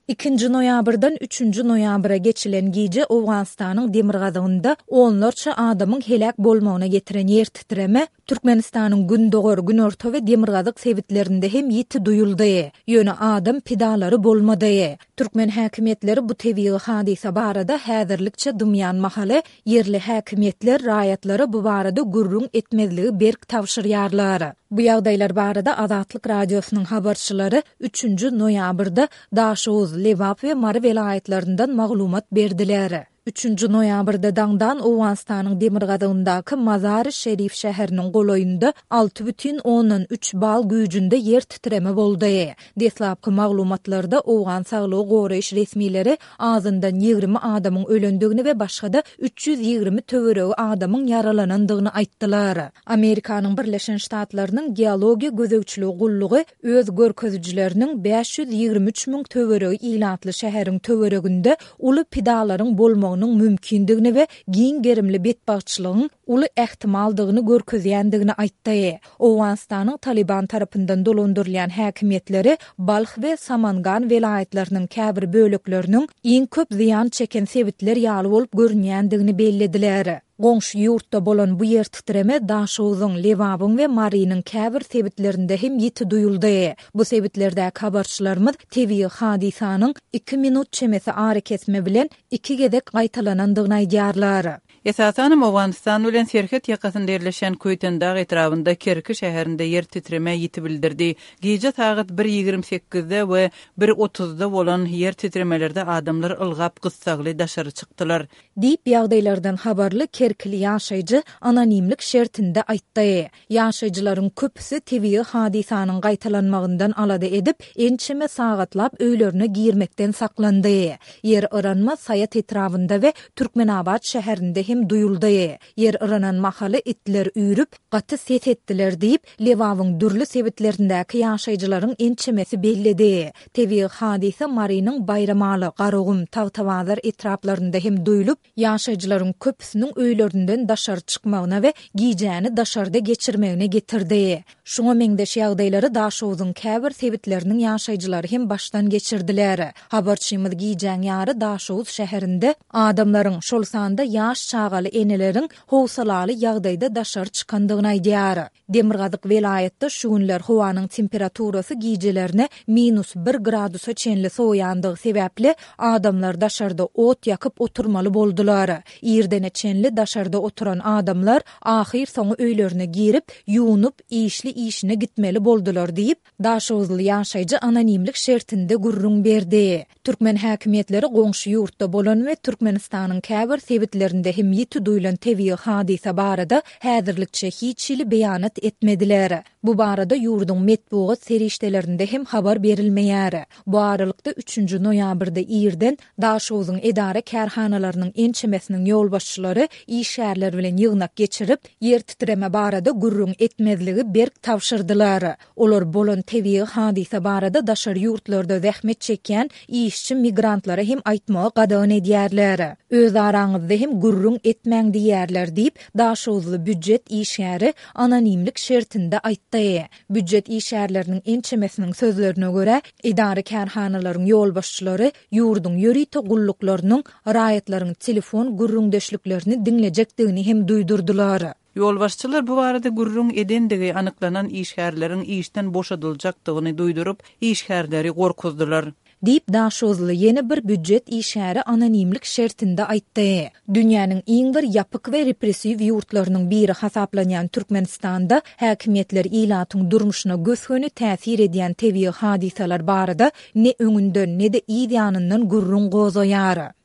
Ikinji noýabrdan üçünji noýabra geçilen gije Owganystanyň demirgazygynda onlarça adamyň heläk bolmagyna getiren ýer titreme Türkmenistanyň gündogar, günorta we demirgazyk sebitlerinde hem ýiti duýuldy. Ýöne adam pidalary bolmady. Türkmen häkimiýetleri bu tebigy hadysa barada häzirlikçe dymýan mahaly, ýerli häkimiýetler raýatlara bu barada gürrüň etmezligi berk tabşyrýarlar. Bu ýagdaýlar barada Azatlyk Radiosynyň habarçylary üçünji noýabrda Daşoguz, Lebap we Mary welaýatlaryndan maglumat berdiler. Üçünji noýabrda daňdan Owganystanyň demirgazygyndaky Mazary-Şerif şäheriniň golaýynda 6,3 bal güýjünde ýer titreme boldy. Deslapky maglumatlarda owgan saglygy goraýyş resmileri azyndan 20 adamyň ölendigini we başga-da 320 töweregi adamyň ýaralanandygyny aýtdylar. Amerikanyň Birleşen Ştatlarynyň Geologiýa gözegçiligi gullugy öz görkezijileriniň 523 müň töweregi ilatly şäheriň töwereginde uly pidalaryň bolmagynyň mümkindigini we giň gerimli betbagtçylygyň uly ähtimaldygyny görkezýändigini aýtdy. Owganystanyň Talyban tarapyndan dolandyrylýan häkimiýetleri Balh we Samangan welaýatlarynyň käbir bölekleriniň iň köp zyýan çeken sebitler ýaly bolup görünýändigini bellediler. Goňşy ýurtda bolan bu ýer titreme Daşogzuň, Lebabyň we Marynyň käbir sebitlerinde hem ýiti duýuldy. Bu sebitlerdäki habarçylarymyz tebigy hadysanyň iki minut çemesi arakesme bilen iki gezek gaýtalanandygyny aýdýarlar. Esasanam Owganystan bilen serhet ýakasynda ýerleşýän Köýtendag etrabynda Kerki şäherinde ýer titreme ýiti bildirdi. Gije sagat bir 28-de we bir 30-da bolan ýer titremelerde adamlar ylgap gyssagly daşary çykdylar. Diýip, ýagdaýlardan habarly kerkili ýaşaýjy anonimlik şertinde aýtdy. Ýaşaýjylaryň köpüsi tebigy hadysanyň gaýtalanmagyndan alada edip, ençeme sagatlap öýlerine girmekden saklandy. Ýer yranma Saýat etrabynda we Türkmenabat şäherinde hem duýuldy. Ýer yranan mahaly itler üýrüp, gaty ses etdiler diýip, Lebabyň dürli sebitlerindäki ýaşaýjylaryň ençemesi belledi. Tebigy hadysa Marynyň Baýramaly, Garagum, Tagtabazar etraplarynda hem duýlup, ýaşaýjylaryň köpüsiniň öýlerinden daşary çykmagyna we gijäni daşarda geçirmegine getirdi. Şuňa meňzeş ýagdaýlary Daşogzuň käbir sebitleriniň ýaşaýjylary hem başdan geçirdiler. Habarçymyz gijäň ýary Daşoguz şäherinde adamlaryň, şol sanda ýaş çagaly eneleriň howsalaly ýagdaýda daşary çykandygyny aýdýar. Demirgazyk welaýatda şu günler howanyň temperaturasy gijelerine minus bir gradusa çenli sowaýandygy sebäpli, adamlar daşarda ot ýakyp oturmaly boldular. Irdene çenli daşarda oturan adamlar ahyrsoňy öýlerine girip, ýuwnup, işli işine gitmeli boldular diýip, Daşoguzly ýaşaýjy anonimlik şertinde gürrüň berdi. Türkmen häkimiýetleri goňşy ýurtda bolan we Türkmenistanyň käbir sebitlerinde hem ýiti duýlan tebigy hadysa barada häzirlikçe hiç hili beýanat etmediler. Bu barada ýurduň metbugat serişdelerinde hem habar berilmeýär. Bu aralykda, üçünji noýabrda irden Daşogzuň edara-kärhanalarynyň ençemesiniň ýolbaşçylary işgärler bilen ýygnak geçirip, ýer titreme barada gürrüň etmezligi berk tabşyrdylar. Olar bolan tebigy hadysa barada daşary ýurtlarda zähmet çekýän işçi migrantlara hem aýtmagy gadagan edýärler. Öz araňyzda hem gürrüň etmäň diýýärler diýip, daşoguzly býujet işgäri anonimlik şertinde aýtdy. Býujet işgärleriniň ençemesiniň sözlerine görä, edara-kärhanalaryň ýolbaşçylary ýurduň ýörite gulluklarynyň raýatlaryň telefon gürrüňdeşliklerini diňlejekdigini hem duýdurdylar. Ýolbaşçylar bu barada gürrüň edendigi anyklanan işgärleriň işden boşadyljakdygyny duýduryp, işgärleri gorkuzdylar. Diýip, daşoguzly ýene bir býujet işgäri anonimlik şertinde aýtdy. Dünýäniň iň bir ýapyk we repressiw ýurtlarynyň biri hasaplanýan Türkmenistanda häkimiýetler ilatyň durmuşyna gös-göni täsir edýän tebigy hadysalar barada ne öňünden, ne-de yz ýanyndan gürrüň gozgaýar.